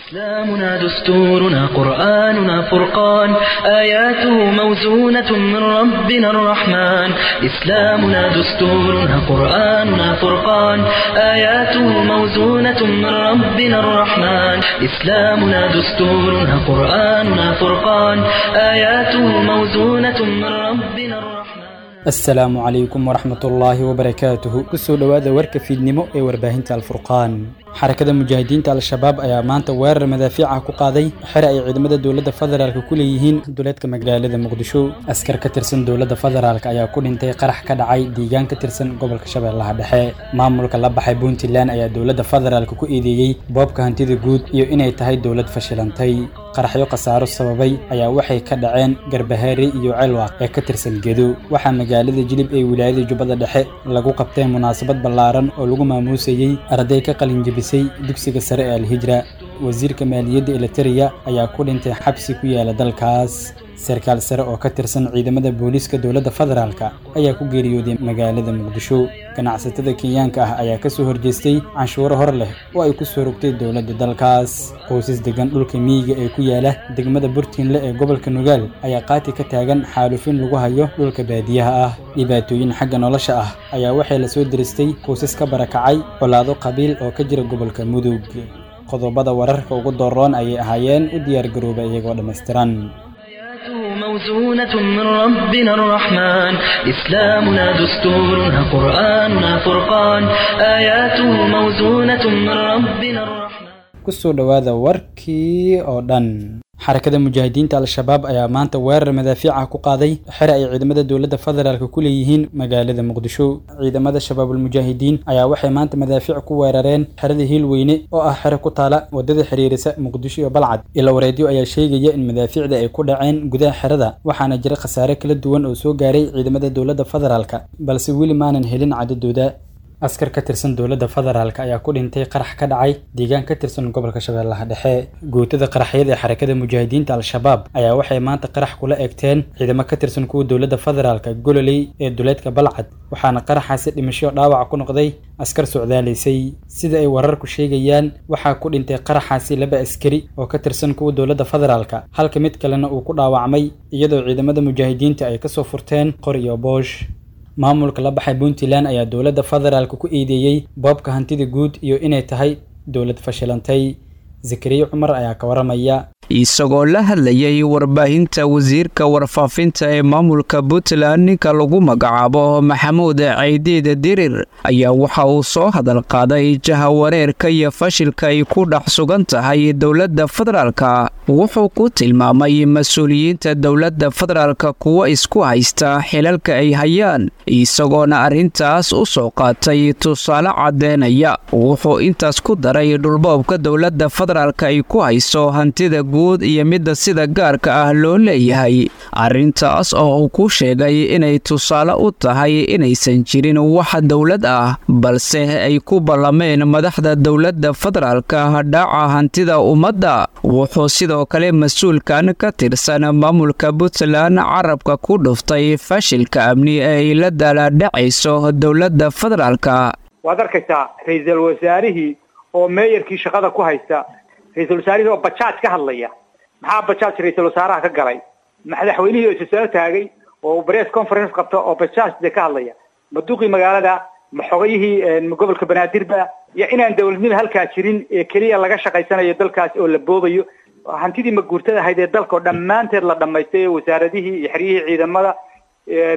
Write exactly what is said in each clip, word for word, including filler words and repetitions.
إسلامنا دستورنا قرآننا فرقان آياته موزونة من ربنا الرحمن إسلامنا دستورنا قرآننا فرقان آياته موزونة من ربنا الرحمن إسلامنا دستورنا قرآننا فرقان آياته موزونة من ربنا الرحمن. Asalaamu calaykum waraxmatullaahi wabarakaatuhu. Kusoo dhowaada warka fiidnimo ee warbaahinta Alfurqaan. Xarakada Mujaahidiinta Al-Shabaab ayaa maanta weerar madaafiic ah ku qaaday xere ay ciidamada dowladda federaalka ku leeyihiin duleedka magaalada Muqdisho. Askar ka tirsan dowladda federaalka ayaa ku dhintay qarax ka dhacay deegaan ka tirsan gobolka Shabeellaha Dhexe. Maamulka la baxay Puntland ayaa dowladda federaalka ku eedeeyey boobka hantida guud iyo inay tahay dowlad fashilantay. Qaraxyo khasaaro sababay ayaa waxay ka dhaceen Garbahaare iyo Celwaaq ee ka tirsan Gedo. Waxaa magaalada Jilib ee wilaayada Jubbada Dhexe lagu qabtay munaasabad ballaaran oo lagu maamuusayey arday ka qalin jebisay dugsiga sare ee Alhijra. Wasiirka maaliyadda Eliteria ayaa ku dhintay xabsi ku yaala dalkaas. Sarkaal sare oo ka tirsan ciidamada booliiska dowladda federaalka ayaa ku geeriyooday magaalada Muqdisho. Ganacsatada Kenyaanka ah ayaa kasoo horjeestay canshuuro hor leh oo ay ku soo rogtay dowladda dalkaas. Qoysas degan dhulka miyiga ee ku yaala degmada Burtinle ee gobolka Nugaal ayaa qaati ka taagan xaalufin lagu hayo dhulka baadiyaha ah. Dhibaatooyin xagga nolosha ah ayaa waxay la soo diristay qoysas ka barakacay colaado qabiil oo ka jira gobolka Mudug. Qodobada wararka ugu dooroon ayay ahaayeen, u diyaargarooba iyagoo dhammaystiran. موزونة من ربنا الرحمن إسلامنا دستورنا قرآننا فرقان آياته موزونة من ربنا الرحمن. Kusoo dhowaada warkii oo dhan. Xarakada Mujaahidiinta Al-Shabaab ayaa maanta weerar madaafiic ah ku qaaday xere ay ciidamada dowladda federaalka ku leeyihiin magaalada Muqdisho. Ciidamada Shabaabul Mujaahidiin ayaa waxay maanta madaafiic ku weerareen xerada Hiilweyne oo ah xere ku taala wadada xiriirisa Muqdisho iyo Balcad. Ilo wareedyo ayaa sheegaya in madaafiicda ay ku dhaceen gudaha xerada, waxaana jira khasaare kala duwan oo soo gaaray ciidamada dowladda federaalka, balse weli maanan helin cadadooda. Askar ka tirsan dowladda federaalka ayaa ku dhintay qarax ka dhacay deegaan ka tirsan gobolka Shabeellaha Dhexe. Guutada qaraxyada ee Xarakada Mujaahidiinta Al-Shabaab ayaa waxay maanta qarax kula eegteen ciidamo ka tirsan kuwa dowladda federaalka Gololey ee duleedka Balcad, waxaana qaraxaasi dhimasho dhaawac ku noqday askar socdaalaysay. Sida ay wararku sheegayaan, waxaa ku dhintay qaraxaasi laba askari oo ka tirsan kuwa dowladda federaalka, halka mid kalena uu ku dhaawacmay, iyadoo ciidamada mujaahidiinta ay kasoo furteen qor iyo boosh. Maamulka la baxay Puntland ayaa dowladda federaalka ku eedeeyey boobka hantida guud iyo inay tahay dowlad fashilantay. Zakariya Cumar ayaa ka waramaya. Isagoo la hadlayay warbaahinta, wasiirka warfaafinta ee maamulka Puntland ninka lagu magacaabo Maxamuud Caydiid Dirir ayaa waxa uu soo hadal qaaday jahawareerka iyo fashilka ay ku dhex sugan tahay dowladda federaalka. Wuxuu ku tilmaamay mas-uuliyiinta dowladda federaalka kuwa isku haysta xilalka ay hayaan, isagoona arrintaas u soo qaatay tusaale caddeynaya. Wuxuu intaas ku daray dhulboobka dowladda federaalka ay ku hayso hantida guud iyo midda sida gaarka ah loo leeyahay, arrintaas oo uu ku sheegay inay tusaale u tahay inaysan jirin wax dowlad ah, balse ay ku ballameen madaxda dowladda federaalka dhaca hantida ummadda. Wuxuu sidoo kale mas-uulkan ka tirsan maamulka Puntland carabka ku dhuftay fashilka amni ee ay la daalaadhacayso dowladda federaalka. Waad arkaysaa ra-iisul wasaarihii oo meeyarkii shaqada ku haysta, ra-iisul wasaarihii oo bajaaj ka hadlaya. Maxaa bajaaj ra-iisul wasaaraha ka galay? Madaxweynihii oo isa soo taagay oo press conference qabta oo bajaaj de ka hadlaya, ma duqii magaalada, ma xogayihii gobolka Banaadirba? Iyo inaan dowladnimo halkaa jirin ee keliya laga shaqaysanayo dalkaas oo la boobayo hantidii maguurtada ahayd ee dalka oo dhammaanteed la dhamaystay, wasaaradihii iyo xeryihii ciidamada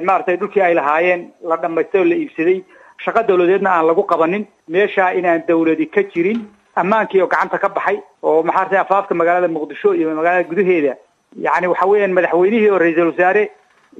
maaragtay dhulkii ay lahaayeen la dhamaystay oo la iibsaday, shaqo dowladeedna aan lagu qabanin meeshaa, inaan dowladi ka jirin, ammaankii oo gacanta ka baxay oo maxaartay afaafka magaalada Muqdisho iyo magaalada gudaheeda. Yacni waxa weeyaan madaxweynihii oo ra-iisul wasaare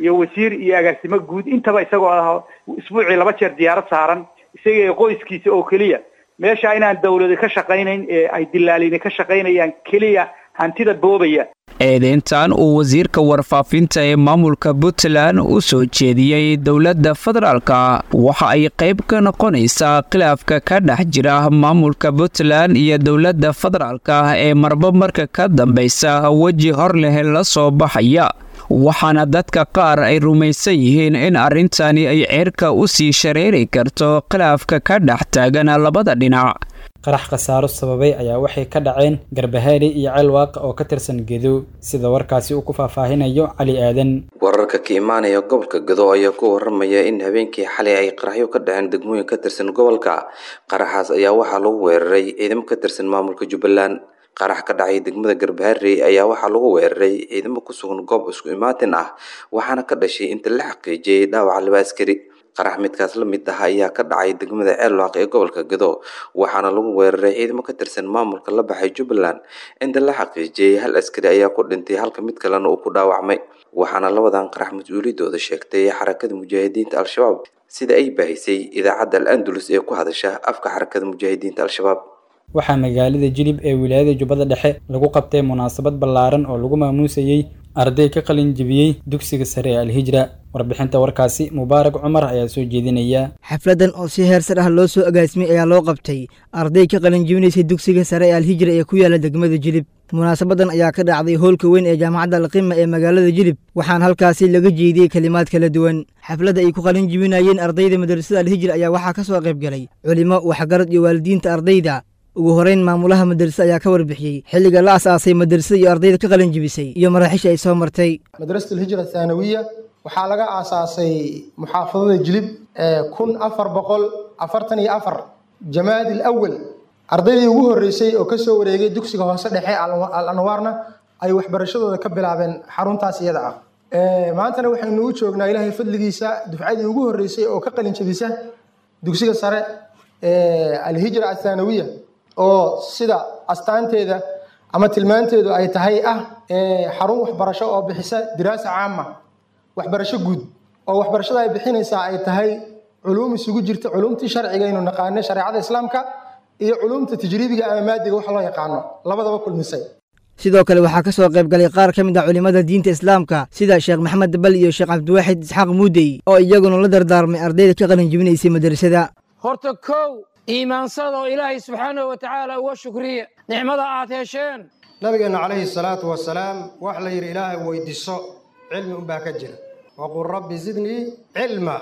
iyo wasiir iyo agaasimo guud intaba isagoo ah isbuucii laba jeer diyaarad saaran, isaga qoyskiisa oo keliya, meesha inaan dowladi ka shaqaynayn ee ay dilaalini ka shaqaynayaan keliya hantida boobaya. Eedeyntan uu wasiirka warfaafinta ee maamulka Puntland u soo jeediyey dowladda federaalka waxa ay qayb ka noqonaysaa khilaafka ka dhex jira maamulka Puntland iyo dowladda federaalka ee marba marka ka dambaysa weji hor leh la soo baxaya, waxaana dadka qaar ay rumaysan yihiin in arrintani ay ceerka u sii shareeri karto khilaafka ka dhex taagan labada dhinac. Qarax khasaaro sababay ayaa waxay ka dhaceen Garbahaari iyo Ceelwaaq oo ka tirsan Gedo, sida warkaasi uu ku faahfaahinayo Cali Aadan. Wararka ka imaanaya gobolka Gedo ayaa ku waramaya in habeenkii xalay ay qaraxyo ka dhaceen degmooyin ka tirsan gobolka. Qaraxaas ayaa waxaa lagu weeraray ciidamo ka tirsan maamulka Jubbaland. Qarax ka dhacay degmada Garbaharey ayaa waxaa lagu weeraray ciidamo ku sugan goob isku imaatin ah, waxaana ka dhashay inta la xaqiijiyay dhaawaca laba askari. Qarax midkaas la mid ah ayaa ka dhacay degmada Ceelwaaq ee gobolka Gedo, waxaana lagu weeraray ciidamo ka tirsan maamulka la baxay Jubbaland. Inta la xaqiijiyay hal askari ayaa ku dhintay halka mid kalena uu ku dhaawacmay, waxaana labadan qarax mas-uuliyadooda sheegtay Xarakada Mujaahidiinta Al-Shabaab, sida ay baahisay idaacadda Al-Andalus ee ku hadasha afka Xarakada Mujaahidiinta Al-Shabaab. Waxaa magaalada Jilib ee wilaayada Jubbada Dhexe lagu qabtay munaasabad ballaaran oo lagu maamuusayey arday ka qalin jebiyey dugsiga sare ee Alhijra. Warbixinta warkaasi Mubaarak Cumar ayaa soo jeedinaya. Xafladan oo si heersar ah loo soo agaasimay ayaa loo qabtay arday ka qalin jebinaysay dugsiga sare ee Alhijra ee ku yaala degmada Jilib. Munaasabadan ayaa ka dhacday hoolka weyn ee jaamacadda Alqima ee magaalada Jilib, waxaana halkaasi laga jeediyey kelimaad kala duwan. Xafladda ay ku qalin jebinayeen ardayda madrasada Alhijra ayaa waxaa ka soo qayb galay culimo, waxgarad iyo waalidiinta ardayda. Ugu horeyn, maamulaha madrasada ayaa ka warbixiyey xilliga la asaasay madrasada iyo ardayda ka qalin jebisay iyo maraaxiisha ay soo martay. Madrasat Alhijra Thaanawiya waxaa laga aasaasay muxaafadada Jilib kun afar boqol afartan iyo afar Jamaadi Alawal. Ardaydii ugu horreysay oo kasoo wareegay dugsiga hoose dhexe Al Anwaarna ay waxbarashadooda ka bilaabeen xaruntaas iyada ah. Maantana waxaynu u joognaa Ilaahay fadligiisa dufcadii ugu horreysay oo ka qalin jebisa dugsiga sare Alhijra Athaanawiya, oo sida astaanteeda ama tilmaanteedu ay tahay ah xarun waxbarasho oo bixisa diraasa caama, waxbarasho guud, oo waxbarashada ay bixinaysaa ay tahay culuum isugu jirta culuumtii sharciga aynu naqaano, shareecada islaamka, iyo culuumta tajriibiga ama maadiga wax loo yaqaano, labadaba kulmisay. Sidoo kale waxaa ka soo qayb galay qaar ka mid ah culimmada diinta islaamka sida Sheekh Maxamed Bal iyo Sheekh Cabdiwaaxid Isxaaq Muudey, oo iyaguna la dardaarmay ardayda ka qalin jebinaysay madrasada. Horta kow, iimaansada oo Ilaahay subxaanahu wa tacaala uga shukriya nicmada aad hesheen. Nabigeenna calayhi salaatu wasalaam waxa la yidhi, Ilaahay weydiiso cilmi unbaa ka jira, waqul rabbi zidnii cilma.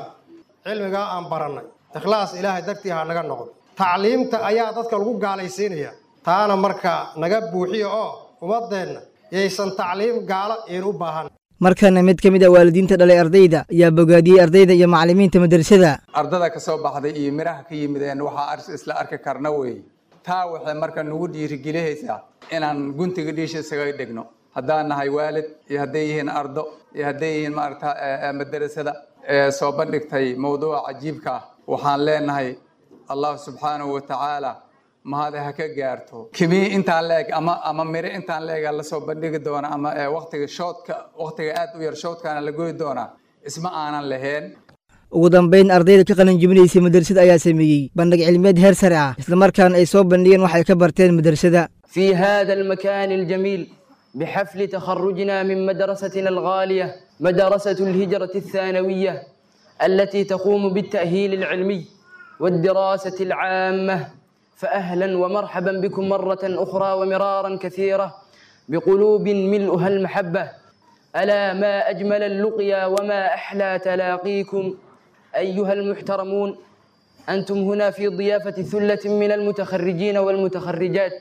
Cilmigaa aan barannay ikhlaas Ilaahay dartii ha naga noqdo. Tacliimta ayaa dadka lagu gaalaysiinaya, taana marka naga buuxiya oo ummadeenna yaysan tacliim gaalo iin u baahan. Markana mid ka mid ah waalidiinta dhalay ardayda ayaa bogaadiyey ardayda iyo macallimiinta madrasada. Ardada ka soo baxday iyo miraha ka yimideen waxaa isla arki karna weeye. Taa waxay marka nagu dhiirigelihaysaa inaan guntiga dhiisha isaga dhigno, haddaan nahay waalid iyo hadday yihiin ardo iyo hadday yihiin maaragta madrasada ee soo bandhigtay mowduuca cajiibka ah. Waxaan leenahay Allah subxaanahu wa tacaala mahade ha ka gaarto kimii intaan la eg ama ama miro intaan la ega lasoo bandhigi doona ama waqtiga shoodka, waqtiga aad u yar shoodkaana la goyi doonaa isma aanan lahayn. Ugu dambeyn, ardayda ka qalin jebinaysay madrasada ayaa sameeyey bandhig cilmiyeed heer sare ah, islamarkaana ay soo bandhigeen wax ay ka barteen madrasada. في هذا المكان الجميل بحفل تخرجنا من مدرستنا الغالية، مدرسة الهجرة الثانوية، التي تقوم بالتأهيل العلمي والدراسة العامة، فأهلا ومرحبا بكم مرة أخرى ومرارا كثيرة بقلوب ملؤها المحبة. ألا ما أجمل اللقيا وما أحلى تلاقيكم أيها المحترمون. أنتم هنا في ضيافة ثلة من المتخرجين والمتخرجات،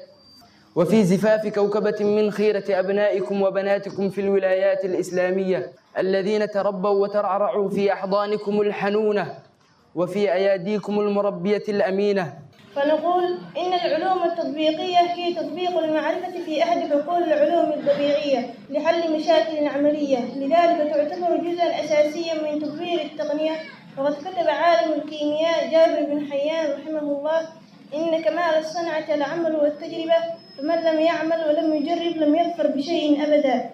وفي زفاف كوكبة من خيرة أبنائكم وبناتكم في الولايات الإسلامية الذين تربوا وترعرعوا في أحضانكم الحنونة وفي أياديكم المربية الأمينة. فنقول إن العلوم التطبيقية هي تطبيق المعرفة في أحد حقول العلوم الطبيعية لحل مشاكل عملية، لذلك تعتبر جزءا أساسيا من تطوير التقنية. وقد كتب عالم الكيمياء جابر بن حيان رحمه الله: إن كمال الصنعة العمل والتجربة، فمن لم يعمل ولم يجرب لم يظفر بشيء أبدا.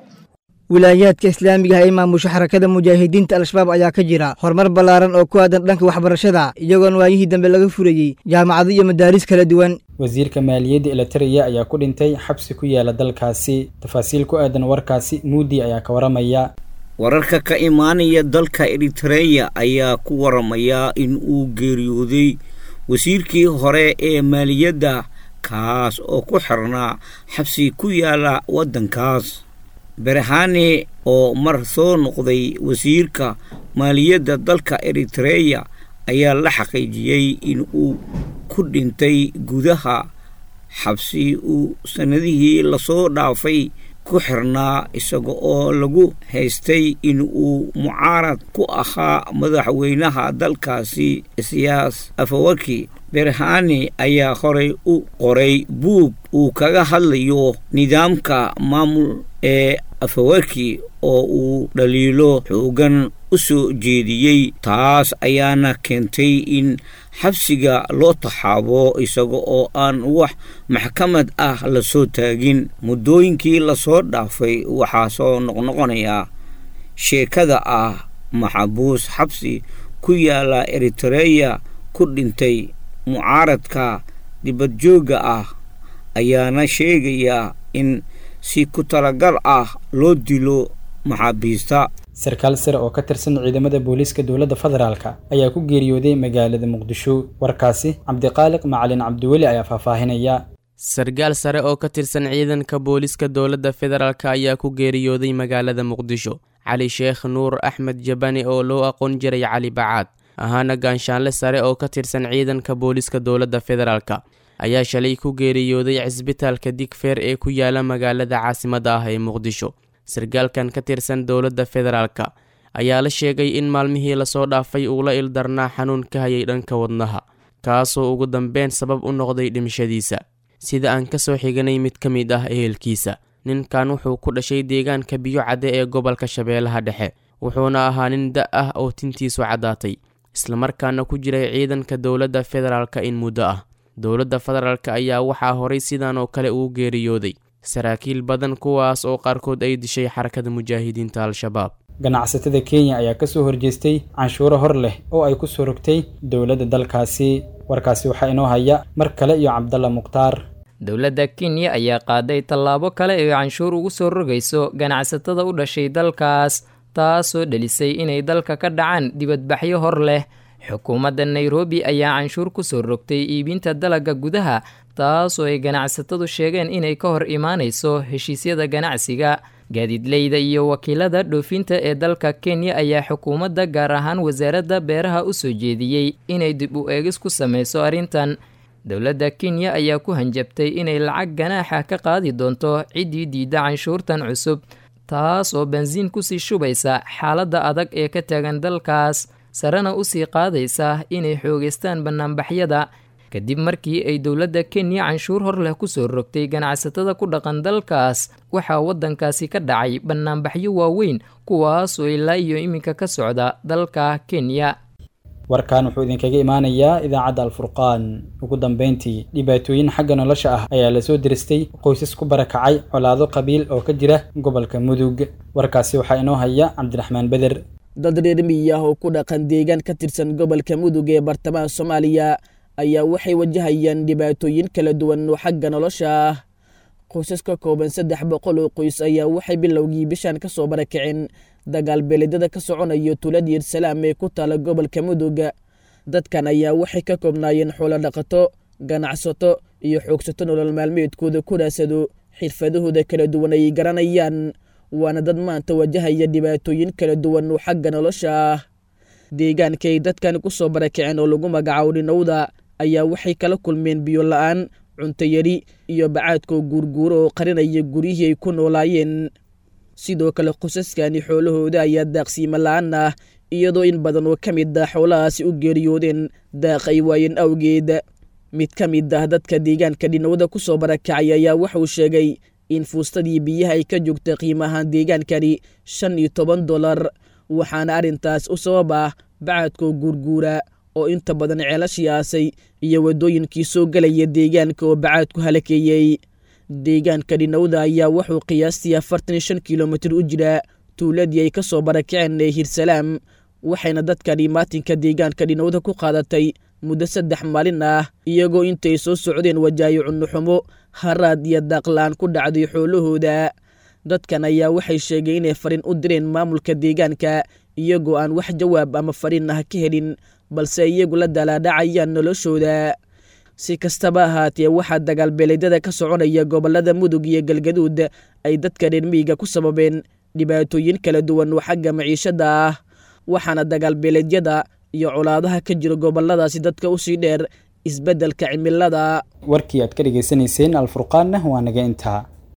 Wilaayaadka islaamiga ah ee maamusha Xarakada Mujaahidiinta Al-Shabaab ayaa ka jira horumar ballaaran oo ku aadan dhanka waxbarashada, iyagoon waayihii dambe laga furayey jaamacado iyo madaaris kala duwan. Wasiirka maaliyadda Eritrea ayaa ku dhintay xabsi ku yaala dalkaasi. Tafaasiil ku aadan warkaasi Muudi ayaa ka waramaya. Wararka ka imaanaya dalka Eritreya ayaa ku waramaya in uu geeriyooday wasiirkii hore ee maaliyadda, kaas oo ku xirnaa xabsi ku yaala waddankaas. Berhane oo mar soo noqday wasiirka maaliyadda dalka Eritreya ayaa la xaqiijiyey in uu ku dhintay gudaha Xabsi uu sannadihii lasoo dhaafay ku xirnaa, isaga oo lagu haystay in uu mucaarad ku ahaa madaxweynaha dalkaasi Isiyaas Afawaki. Berhane ayaa horay u qoray buug uu kaga hadlayo nidaamka maamul ee Afawaki oo uu dhaliilo xoogan u soo jeediyey, taas ayaana keentay in xabsiga loo taxaabo isaga oo aan wax maxkamad ah lasoo taagin. Muddooyinkii lasoo dhaafay waxaa soo noqnoqonaya sheekada ah maxabuus xabsi ku yaala Eritreya ku dhintay. Mucaaradka dibadjoogga ah ayaana sheegaya in si ku talagal ah loo dilo maxaabiista. Sarkaal sare oo ka tirsan ciidamada booliiska dowladda federaalka ayaa ku geeriyooday magaalada Muqdisho. Warkaasi Cabdiqaaliq Macalin Cabdiweli ayaa faahfaahinaya. Sarkaal sare oo ka tirsan ciidanka booliiska dowladda federaalk ayaa ku geeriyooday magaalada Muqdisho. Cali Sheekh Nuur Axmed Jabani oo loo aqoon jiray Cali Bacaad, ahaana gaanshaanle sare oo ka tirsan ciidanka booliiska dowladda federaalk, ayaa shalay ku geeriyooday cisbitaalka Digfeer ee ku yaala magaalada caasimadda ah ee Muqdisho. Sarkaalkan ka tirsan dowladda federaalk ayaa la sheegay in maalmihii lasoo dhaafay uu la ildarnaa xanuun ka hayay dhanka wadnaha, kaasoo ugu dambeyn sabab u noqday dhimashadiisa. Sida aan kasoo xiganay mid ka mid ah ehelkiisa, ninkan wuxuu ku dhashay deegaanka Biyo Cadde ee gobolka Shabeellaha Dhexe, wuxuuna ahaa nin da' ah oo tintiisu caddaatay, islamarkaana ku jiray ciidanka dowladda federaalk in muddo ah. Dowladda federaalk ayaa waxaa horay sidan oo kale ugu geeriyooday saraakiil badan, kuwaas oo qaarkood ay dishay Xarakada Mujaahidiinta Al-Shabaab. Ganacsatada Kenya ayaa kasoo horjeestay canshuuro hor leh oo ay ku soo rogtay dowladda dalkaasi. Warkaasi waxaa inoo haya mar kale iyo Cabdalla Mukhtaar. Dowladda Kenya ayaa qaaday tallaabo kale ee canshuur ugu soo rogayso ganacsatada u dhashay dalkaas, taasoo dhelisay inay dalka ka dhacaan dibadbaxyo hor leh. Xukuumadda Nairobi ayaa canshuur ku soo rogtay iibinta dalagga gudaha, taasoo ay ganacsatadu sheegeen inay ka hor imaanayso heshiisyada ganacsiga. Gaadiidleyda iyo wakiilada dhoofinta ee dalka Kenya ayaa xukuumadda, gaar ahaan wasaaradda beeraha, u soo jeediyey inay dib u eegis ku sameyso arrintan. Dowladda Kenya ayaa ku hanjabtay inay lacag ganaaxa ka qaadi doonto ciddii diidda canshuurtan cusub, taas oo bensiin kusii shubaysa xaaladda adag ee ka taagan dalkaas, sarena usii qaadaysa inay xoogeystaan banaanbaxyada. Kadib markii ay dowladda Kenya canshuur hor leh kusoo rogtay ganacsatada ku dhaqan dalkaas, waxaa waddankaasi ka dhacay banaanbaxyo waaweyn, kuwaasoo ilaa iyo iminka ka socda dalka Kenya. Warkan wuxuu idinkaga imaanayaa idaacadda Alfurqaan. Ugu dambeyntii, dhibaatooyin xagga nolosha ah ayaa lasoo diristay qoysas ku barakacay colaado qabiil oo ka jira gobolka Mudug. Warkaasi waxaa inoo haya Cabdiraxmaan Beder. Dad reer miyi ah oo ku dhaqan deegaan ka tirsan gobolka Mudug ee bartamaha Soomaaliya ayaa waxay wajahayaan dhibaatooyin kala duwan oo xagga nolosha ah. Qoysas ka kooban saddex boqol oo qoys ayaa waxay bilowgii bishan ka soo barakaceen dagaal beeleedyada ka soconaya tuulada Yersalaam ee ku taala gobolka Mudug. Dadkan ayaa waxay ka koobnaayeen xoolo dhaqato, ganacsato iyo xoogsato nolol maalmeedkooda ku raadsado xirfadahooda kala duwan ay garanayaan, waana dad maanta wajahaya dhibaatooyin kala duwan oo xagga nolosha ah. Deegaankay dadkan ku soo barakaceen oo lagu magacaabo Dhinowda ayaa waxay kala kulmeen biyo la'aan, cunto yari iyo bacaadkoo guurguuro oo qarinaya guryihii ay ku noolaayeen. Sidoo kale qosaskani xoolahooda ayaa daaqsiimo la'aan ah, iyadoo in badan oo ka mid ah xoolahaasi u geeriyoodeen daaq ay waayeen awgeed. Mid ka mid ah dadka deegaanka Dhinowda ku soo barakacay ayaa wuxuu sheegay in fuustadii biyaha ay ka joogtay qiimahaan deegaankani shan iyo toban dolar, waxaana arrintaas u sabab ah bacaadkoo guurguura oo inta badan ceelashii aasay iyo waddooyinkii soo gelaya deegaanka oo bacaadku halakeeyey. Deegaanka Dhinowda ayaa wuxuu qiyaastii afartan iyo shan kilomitir u jiraa tuuladii ay ka soo barakaceen ee Hirsalaam, waxayna dadkani maatinka deegaanka Dhinowda ku qaadatay muddo saddex maalin ah, iyagoo intay soo socdeen wajaayo cunno xumo, haraad iyo daaqla-aan ku dhacday xoolahooda. Dadkan ayaa waxay sheegeen inay fariin u direen maamulka deegaanka, iyagoo aan wax jawaab ama fariin ah ka helin, balse iyagu la dalaadhacayaan noloshooda. Si kastaba ahaatee, waxaa dagaal beeleedyada ka soconaya gobolada Mudug iyo Galgaduud ay dadka reer miyiga ku sababeen dhibaatooyin kala duwan oo xagga maciishada ah, waxaana dagaal beeleedyada iyo colaadaha ka jira goboladaasi dadka usii dheer isbeddelka cimilada. Warkii aad ka dhegaysanayseen Alfurqaanna waa naga intaa.